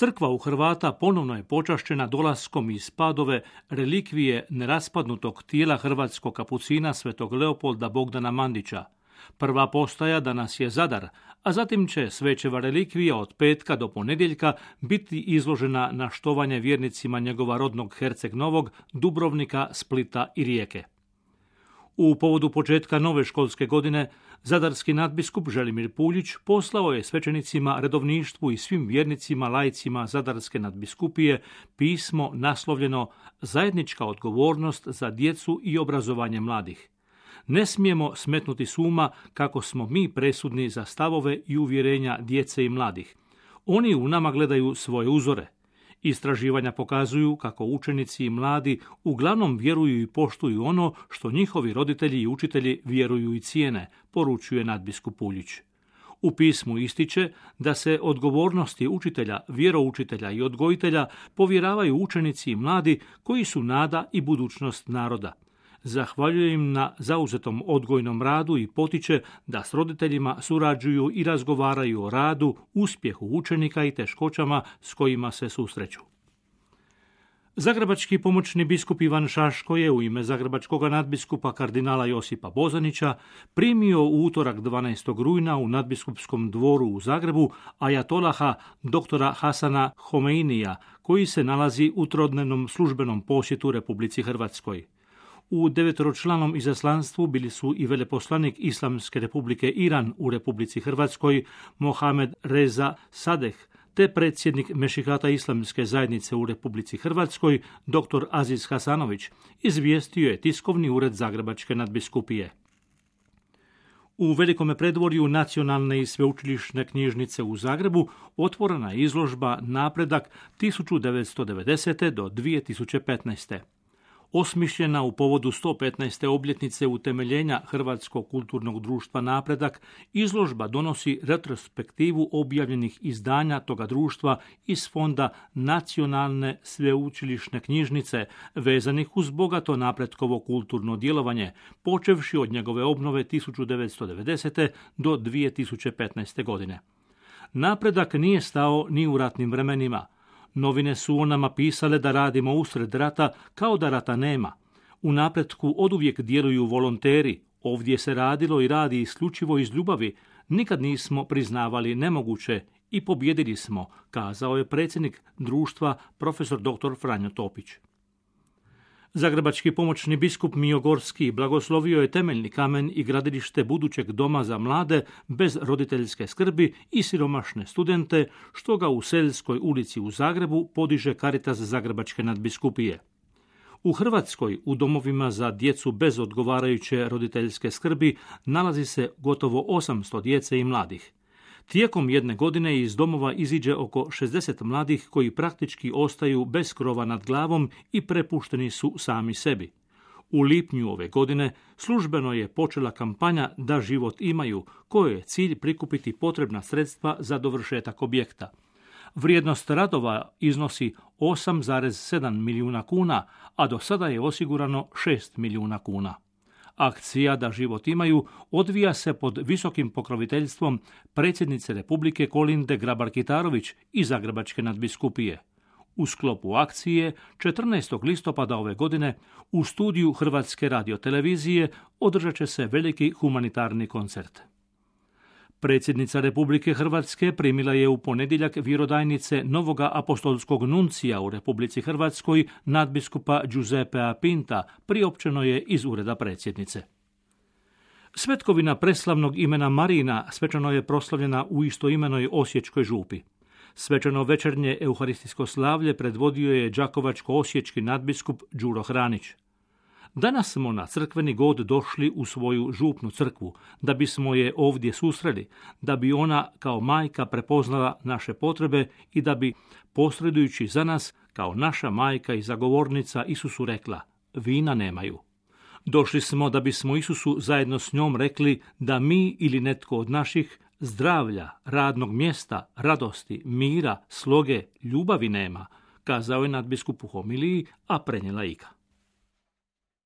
Crkva u Hrvata ponovno je počašćena dolaskom iz Padove relikvije neraspadnutog tijela hrvatskog kapucina svetog Leopolda Bogdana Mandića. Prva postaja danas je Zadar, a zatim će svećeva relikvija od petka do ponedjeljka biti izložena na štovanje vjernicima njegova rodnog Herceg Novog, Dubrovnika, Splita i Rijeke. U povodu početka nove školske godine, zadarski nadbiskup Želimir Puljić poslao je svećenicima, redovništvu i svim vjernicima, laicima Zadarske nadbiskupije pismo naslovljeno Zajednička odgovornost za djecu i obrazovanje mladih. Ne smijemo smetnuti s uma kako smo mi presudni za stavove i uvjerenja djece i mladih. Oni u nama gledaju svoje uzore. Istraživanja pokazuju kako učenici i mladi uglavnom vjeruju i poštuju ono što njihovi roditelji i učitelji vjeruju i cijene, poručuje nadbiskup Puljić. U pismu ističe da se odgovornosti učitelja, vjeroučitelja i odgojitelja povjeravaju učenici i mladi koji su nada i budućnost naroda. Zahvaljuje im na zauzetom odgojnom radu i potiče da s roditeljima surađuju i razgovaraju o radu, uspjehu učenika i teškoćama s kojima se susreću. Zagrebački pomoćni biskup Ivan Šaško je u ime zagrebačkog nadbiskupa kardinala Josipa Bozanića primio u utorak 12. rujna u nadbiskupskom dvoru u Zagrebu ajatolaha doktora Hasana Homeinija, koji se nalazi u trodnevnom službenom posjetu Republici Hrvatskoj. U 9-članom izaslanstvu bili su i veleposlanik Islamske republike Iran u Republici Hrvatskoj Mohamed Reza Sadeh, te predsjednik Mešihata Islamske zajednice u Republici Hrvatskoj dr. Aziz Hasanović, izvijestio je tiskovni ured Zagrebačke nadbiskupije. U velikome predvorju Nacionalne i sveučilišne knjižnice u Zagrebu otvorena je izložba Napredak 1990. do 2015. Osmišljena u povodu 115. obljetnice utemeljenja Hrvatskog kulturnog društva Napredak, izložba donosi retrospektivu objavljenih izdanja toga društva iz fonda Nacionalne sveučilišne knjižnice, vezanih uz bogato napretkovo kulturno djelovanje, počevši od njegove obnove 1990. do 2015. godine. Napredak nije stao ni u ratnim vremenima. Novine su o nama pisale da radimo usred rata kao da rata nema. U Napretku oduvijek djeluju volonteri. Ovdje se radilo i radi isključivo iz ljubavi. Nikad nismo priznavali nemoguće i pobjedili smo, kazao je predsjednik društva profesor dr. Franjo Topić. Zagrebački pomoćni biskup Mijo Gorski blagoslovio je temeljni kamen i gradilište budućeg doma za mlade bez roditeljske skrbi i siromašne studente, što ga u Seljskoj ulici u Zagrebu podiže Caritas Zagrebačke nadbiskupije. U Hrvatskoj u domovima za djecu bez odgovarajuće roditeljske skrbi nalazi se gotovo 800 djece i mladih. Tijekom jedne godine iz domova iziđe oko 60 mladih koji praktički ostaju bez krova nad glavom i prepušteni su sami sebi. U lipnju ove godine službeno je počela kampanja Da život imaju, kojoj je cilj prikupiti potrebna sredstva za dovršetak objekta. Vrijednost radova iznosi 8,7 milijuna kuna, a do sada je osigurano 6 milijuna kuna. Akcija Da život imaju odvija se pod visokim pokroviteljstvom predsjednice Republike Kolinde Grabar-Kitarović i Zagrebačke nadbiskupije. U sklopu akcije 14. listopada ove godine u studiju Hrvatske radiotelevizije održat će se veliki humanitarni koncert. Predsjednica Republike Hrvatske primila je u ponedjeljak vjerodajnice novoga apostolskog nuncija u Republici Hrvatskoj nadbiskupa Giuseppea Pinta, priopćeno je iz ureda predsjednice. Svetkovina preslavnog imena Marina svečano je proslavljena u istoimenoj Osječkoj župi. Svečano večernje euharistijsko slavlje predvodio je đakovačko-osječki nadbiskup Đuro Hranić. Danas smo na crkveni god došli u svoju župnu crkvu, da bismo je ovdje susreli, da bi ona kao majka prepoznala naše potrebe i da bi, posredujući za nas, kao naša majka i zagovornica Isusu rekla, vina nemaju. Došli smo da bismo Isusu zajedno s njom rekli da mi ili netko od naših zdravlja, radnog mjesta, radosti, mira, sloge, ljubavi nema, kazao je nadbiskup u homiliji, a prenijela Ika.